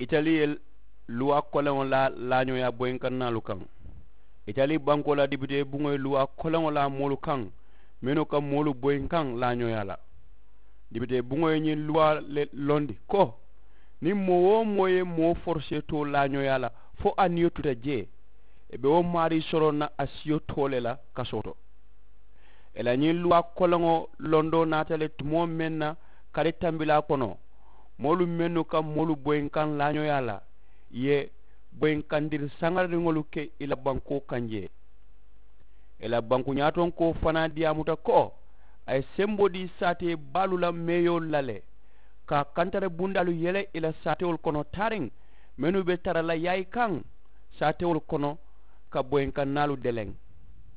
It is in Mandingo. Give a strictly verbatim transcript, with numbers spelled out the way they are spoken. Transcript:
Itali ye luwaa koleŋo laa laañooyaa boyinkaŋ naalu kaŋ. Itali bankoo la depitee buŋo ye luwaa koleŋo laa moolu kaŋ mennu ka moolu boyinkaŋ laañooyaa la. Depitee buŋo ye ñiŋ luwaa le londi ko niŋ moo-wo-moo ye moo forosee too laañooyaa la fo a niyo tuta jee, i be wo maarii soroŋ na a siyo too le la kasoo to. I la ñiŋ luwaa koleŋo londoo naata le tumoo meŋ na kari tambilaa kono, moolu mennu ka moolu boyinkaŋ laañooyaa la, i ye boyinkandiri saŋaririŋolu ke i la bankoo kaŋ jee. I la banku ñaatonkoo fanaa diyaamuta ko a ye semboo dii saatee baalu la meeyoolu la le, ka a kantara bundaalu yele i la saatewolu kono taariŋ mennu be tara la yaayi kaŋ saatewolu kono ka boyinkannaalu deleŋ.